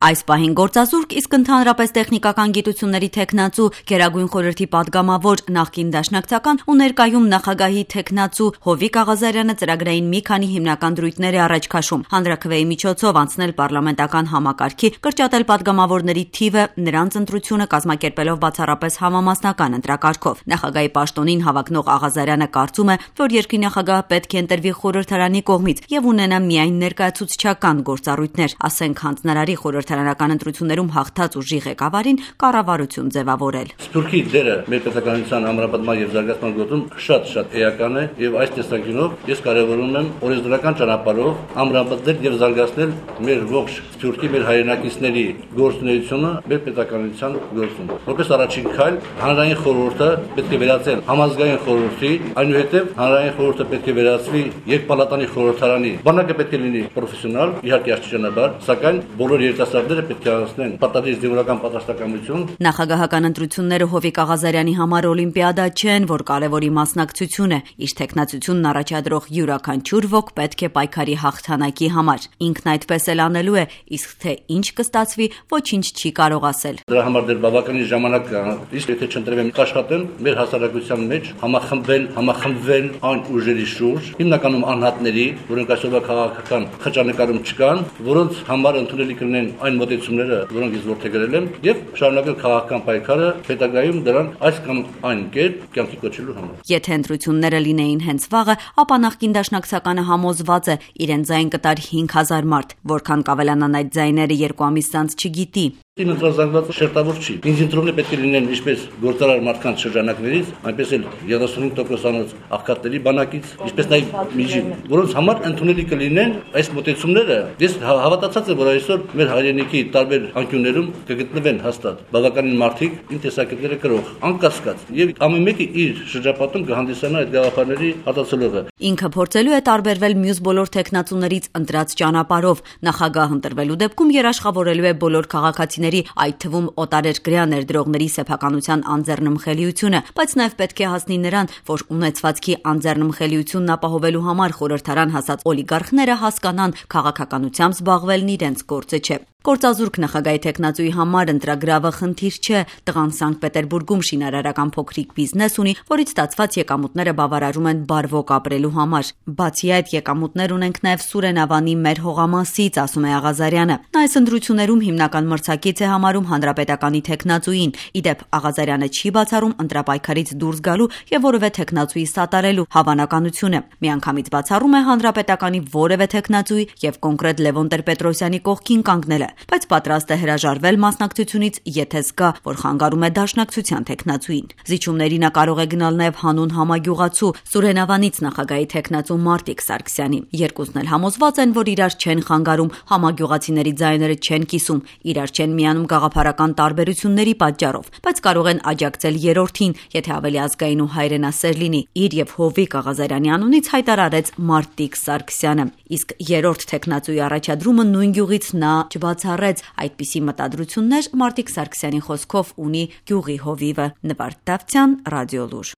Այս պահին գործազուրկ, իսկ ընդհանրապես տեխնիկական գիտությունների թեկնածու, Գերագույն խորհրդի պատգամավոր, նախկին դաշնակցական ու ներկայում նախագահի թեկնածու Հովիկ Աղազարյանը ծրագրային մի քանի հիմնական դրույթներ է առաջ քաշում. հանրաքվեի միջոցով անցնել պարլամենտական համակարգի, կրճատել պատգամավորների թիվը, նրանց ընտրությունը կազմակերպելով բացառապես համամասնական ընտրակարգով։ Նախագահի պաշտոնին հավակնող Աղազարյանը կարծում է, որ երկրի նախագահը պետք է ընտրվի խորհրդարանի կողմից եւ ունենա միայն ներկայացուցչական գործառույթներ, ասենք հանձնարարի խորհրդարանական ընտրություններում հաղթած ուժի ղեկավարին կառավարություն ձևավորել։ Սփյուռքի դերը մեր պետականության ամրապնդման եւ զարգացման գործում շատ էական է եւ այս տեսանկյունով ես կարեւորում եմ օրենսդրական ճանապարհով ամրապնդել եւ զարգացնել մեր ողջ Սփյուռքի մեր հայրենակիցների գործունեությունը մեր պետականության գործում։ Որպես առաջին քայլ հանրային խորհուրդը պետք է վերածել համազգային խորհրդի, այնուհետև հանրային խորհուրդը պետք է վերածվի երկպալատանի խորհրդարանի։ Բանակը պետք է լինի պրոֆեսիոնալ, իհարկե աստիճանաբար, սակայն բոլոր երիտասարդները պետք է անցնեն պարտադիր զինվորական պատասխանատվություն։ Նախագահական ընտրությունները Հովիկ Աղազարյանի համար օլիմպիադա չեն, որ կարևորի մասնակցություն է։ Իր թեկնածությունն առաջադրող յուրաքանչյուր ոք պետք է պայքարի հաղթանակի համար։ Ինքն այդպես էլ անելու է, իսկ թե ինչ կստացվի, ոչինչ չի կարող ասել։ Դրա համար դեռ բավականին ժամանակ կա, իսկ եթե չընտրվեմ, կաշխատեմ մեր հասարակության մեջ համախմբվել այն ուժերի շուրջ, հիմնականում անհատների, որոնք այսօրվա քաղաքական խճանկարում չկան, որոնց համար ընդունելի կլինեն այն մոտեցումները, որոնք ես որդեգրել եմ, եւ շարունակել քաղաքական պայքարը հետագայում դրան այս կամ այն կերպ կյանքի կոչելու համար։ Եթե ընտրությունները լինեին հենց վաղը, ապա նախկին դաշնակցականը համոզված է, իրեն ձայն կտար 5000 մարդ, որքան կավելանան այդ ձայները 2 ամիս անց չգիտի։ Իմ ընտրազանգվածը շերտավոր չի։ Ինձ ընտրողները պետք է լինեն ինչպես գործարար մարդկանց շրջանակներից, այնպես էլ 35%-անոց աղքատների բանակից, ինչպես նաև միջին, որոնց համար ընդունելի կլինեն այս մոտեցումները։ Ես հավատացած եմ, որ այսօր մեր հայրենիքի տարբեր անկյուններում կգտնվեն հաստատ բավականին մարդիկ իմ տեսակետները կրող, անկասկած, եւ ամեն մեկը իր շրջապատում կհանդիսանա այդ գաղափարների արտացոլողը։ Ինքը փորձելու է տարբերվել մյուս բոլոր թեկնածուներից ընտրած ճանապարհով։ Նախագահ ընտրվելու դեպքում երաշխավորելու է բոլոր քաղաքացիների, այդ թվում օտարերկրյա ներդրողների սեփականության անձեռնմխելիությունը, բայց նաև պետք է հասնի նրան, որ ունեցվածքի անձեռնմխելիությունն ապահովելու համար խորհրդարան հասած օլիգարխները հասկանան, քաղաքականությամբ զբաղվելն իրենց գործը չէ։ Գործազուրկ նախագահի թեկնածուի համար ընտրագրավը խնդիր չէ։ Տղան Սանկտ Պետերբուրգում շինարարական փոքրիկ բիզնես ունի, որից ստացված եկամուտները բավարարում են բարվոք ապրելու համար։ Բացի այդ, եկամուտներ ունենք նաև Սուրենավանի մեր հողամասից, ասում է Աղազարյանը։ Նա այս ընտրություններում հիմնական մրցակից է համարում հանրապետականի թեկնածուին։ Իդեպ Աղազարյանը չի բացառում ընտրապայքարից դուրս գալու եւ որևէ թեկնածուի սատարելու հավանականությունը։ Միանգամից բացառում է հանրապետականի որևէ թեկնածուի եւ կոնկրետ Լևոն Տեր-Պետրոսյանի կողքին կանգնելը, բայց պատրաստ է հրաժարվել մասնակցությունից, եթե զգա, որ խանգարում է դաշնակցության թեկնածուին։ Զիջումների նա կարող է գնալ նաև հանուն համագյուղացու Սուրենավանից նախագահի թեկնածու Մարտիկ Սարգսյանի։ Երկուսն էլ համոզված են, որ իրար չեն խանգարում, համագյուղացիների ձայները չեն կիսում, իրար չեն միանում գաղափարական տարբերությունների պատճառով, բայց կարող են աջակցել երրորդին, եթե ավելի ազգային ու հայրենասեր լինի, իր եւ Հովիկ Աղազարյանի անունից հայտարարեց Մարտիկ Սարգսյանը։ Իսկ երրորդ թեկնածուի առաջադրումը նույն գյուղից նա չբացառեց։ Այդպիսի մտադրություններ Մարտիկ Սարգսյանի խոսքով ունի գյուղի հովիվը։ Նվարդ Դավթյան, Ռադիոլուր։